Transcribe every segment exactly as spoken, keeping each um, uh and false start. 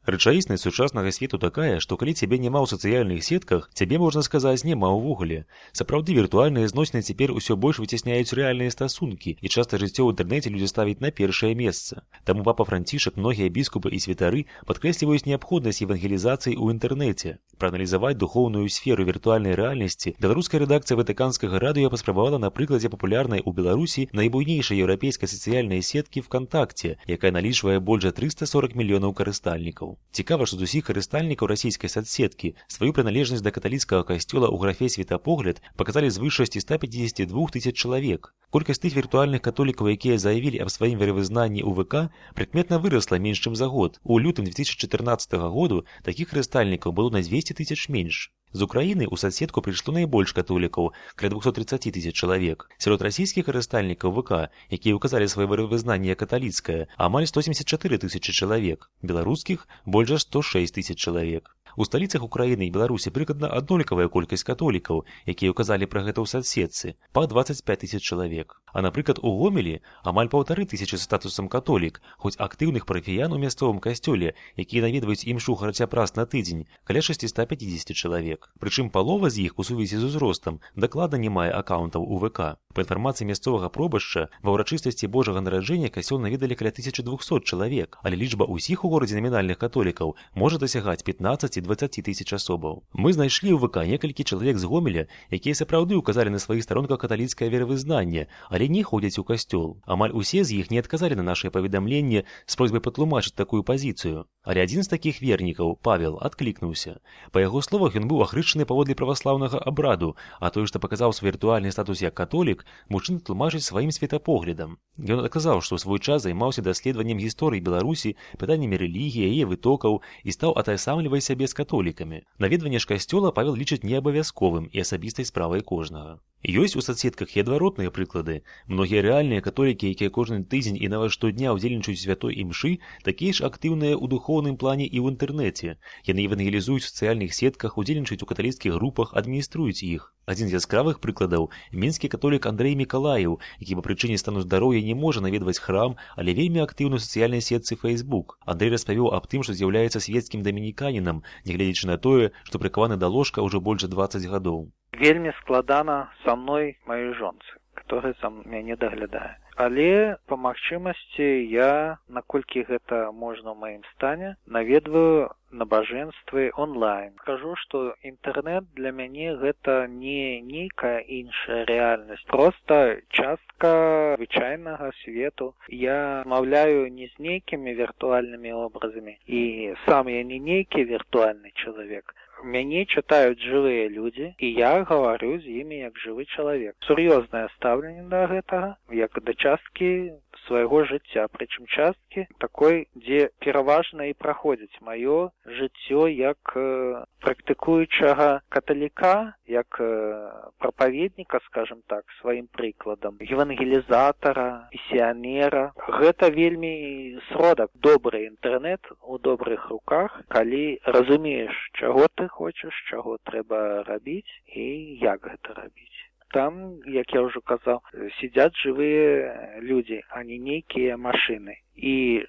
Рэчаіснасць сучаснага свету такая, што калі цябе няма ў сацыяльных сетках, цябе, можна сказаць, няма ўвогуле. Сапраўды, віртуальныя зносіны цяпер усё больш выцясняюць рэальныя стасункі, і часта жыццё ў інтэрнэце людзі ставяць на першае месца. Таму папа Францішак, многія біскупы і святары падкрэсліваюць неабходнасць евангелізацыі ў інтэрнэце. Прааналізаваць духоўную сферу віртуальнай рэальнасці беларуская рэдакцыя ватыканскага радыё паспрабавала на прыкладзе папулярнай у Беларусі найбуйнейшай еўрапейскай сацыяльнай сеткі ВКонтакте, якая налічвае больш за трыста сорак мільёнаў карыстальнікаў. Цікава, што з усіх карыстальнікаў расійскай соцсеткі сваю прыналежнасць да каталіцкага касцёла ў графе «Светапогляд» паказалі звыш шасцісот пяцідзесяці двух тысяч чалавек. Колькасць тых віртуальных католікаў, якія заявілі аб сваім веравызнанні ў ВК, прыкметна вырасла менш чым за год. У лютым две тысячи чатырнаццатага году такіх карыстальнікаў было на дзвесце тысяч менш. З Украіны ў соцсетку прыйшло найбольш католікаў, каля двухсот тридцати тысяч чалавек. Сярод расійскіх карыстальнікаў ВК, якія ўказалі сваё веравызнанне каталіцкае, амаль сто семьдесят четыре тысячи чалавек, беларускіх больш за сто шесть тысяч чалавек. У сталіцах Украіны і Беларусі прыкладна аднолькавая колькасць католікаў, якія ўказалі пра гэта ў соцсетцы, па двадцать пять тысяч чалавек. А, напрыклад, у Гомелі амаль паўтары тысячы з статусам католік, хоць актыўных парафіян у мясцовым касцёле, якія наведваюць імшу хаця б раз на тыдзень, каля шасцісот пяцідзесяці чалавек. Прычым палова з іх у сувязі з узростам дакладна не мае акаунтаў у ВК. Па інфармацыі мясцовага пробашча, ва ўрачыстасці Божага нараджэння касцёл наведалі каля тысячы двухсот чалавек, але лічба ўсіх у горадзе намінальных католікаў можа дасягаць пятнадцаць-дваццаць тысяч асобаў. Мы знайшлі ў ВК некалькі чалавек з Гомеля, якія сапраўды ўказалі на сваіх старонках каталіцкае веравызнанне, але не ходзяць у касцёл. Амаль усе з іх не адказалі на нашае паведамленне з просьбай патлумачыць такую пазіцыю. Але адзін з такіх вернікаў, Павел, адклікнуўся. Па яго словах, ён быў ахрышчаны паводле праваслаўнага абраду, а той, што паказаў свой віртуальны статус як католік, мужчына тлумачыць сваім светапоглядам. Ён адказаў, што ў свой час займаўся даследаваннем гісторыі Беларусі, пытаннямі рэлігіі, яе вытокаў і стаў атаясамліваць сябе з католікамі. Наведванне ж касцёла Павел лічыць неабавязковым і асабістай справай кожнага. Ёсць у соцсетках і адваротныя прыклады. Многія рэальныя католікі, якія кожны тыдзень і нават штодня ўдзельнічаюць святой імшы, такія ж актыўныя ў духоўным плане і ў інтэрнэце. Яны евангелізуюць у сацыяльных сетках, удзельнічаюць у каталіцкіх групах, адмініструюць іх. Адзін з яскравых прыкладаў – мінскі католік Андрэй Мікалаеў, які па прычыне стану здароўя не можа наведваць храм, але вельмі актыўны ў сацыяльнай сетцы Facebook. Андрэй распавёў аб тым, што з'яўляецца свецкім дамініканінам, нягледзячы на тое, што прыкаваны да ложка ўжо больш за дваццаць гадоў. Вельмі складана са мной маёй жонцы, которая за мяне даглядае. Але па магчымасці я, наколькі гэта можна ў маім стане, наведваю набажэнствы онлайн. Скажу, што інтэрнэт для мяне гэта не нейкая іншая рэальнасць, проста частка звычайнага свету. Я размаўляю не з нейкімі віртуальнымі образамі, і сам я не нейкі віртуальны чалавек. Мяне чытаюць жывыя людзі, і я гаварю з імі як жывы чалавек. Сур'ёзнае стаўленне да гэтага, як да часткі свайго жыцця, прычым часткі такой, дзе пераважна і праходзіць маё жыццё як э, практыкуючага каталіка, як э, прапаведніка, скажем так, сваім прыкладам, евангелізатара, місіянера. Гэта вельмі сродак. Добры інтэрнэт у добрых руках, калі разумееш, чаго ты хочаш, чаго трэба рабіць і як гэта рабіць. Там, як я ўжо казаў, сидзяць жывыя людзі, а не нейкія машыны. І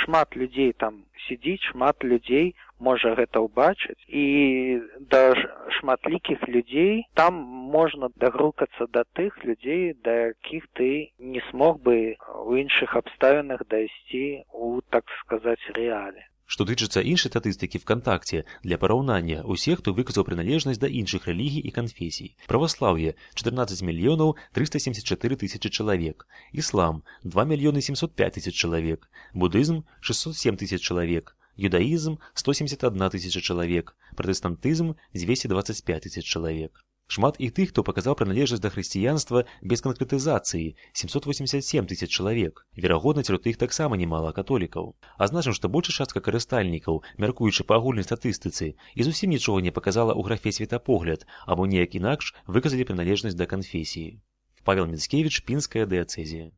шмат людзей там сидзіць, шмат людзей можа гэта ўбачыць. І да шматлікіх людзей там можна дагрукацца да тых людзей, да якіх ты не смог бы у іншых абставінах дайсці у, так сказаць, рэале. Што тычыцца іншай статыстыкі ВКонтакте, для параўнання, усе, хто выказаў прыналежнасць да іншых рэлігій і канфесій. Праваслаўе – чатырнаццаць мільёнаў трыста семьдесят чатыры тысячы чалавек. Іслам – два мільёны семьсот пять тысяч чалавек. Будызм – шестьсот семь тысяч чалавек. Юдаізм – сто семьдесят одна тысяча чалавек. Пратэстантызм – двести двадцать пять тысяч чалавек. Шмат і тых, хто паказаў прыналежнасць да хрысціянства без канкрэтызацыі – семьсот восемьдесят семь тысяч чалавек. Верагодна, сярод іх таксама немала католікаў. Азначым, што большая частка карыстальнікаў, мяркуючы па агульнай статыстыцы, і зусім нічога не паказала ў графе «Светапогляд» або неяк інакш выказалі прыналежнасць да канфесіі. Павел Міцкевіч, Пінская дыяцэзія.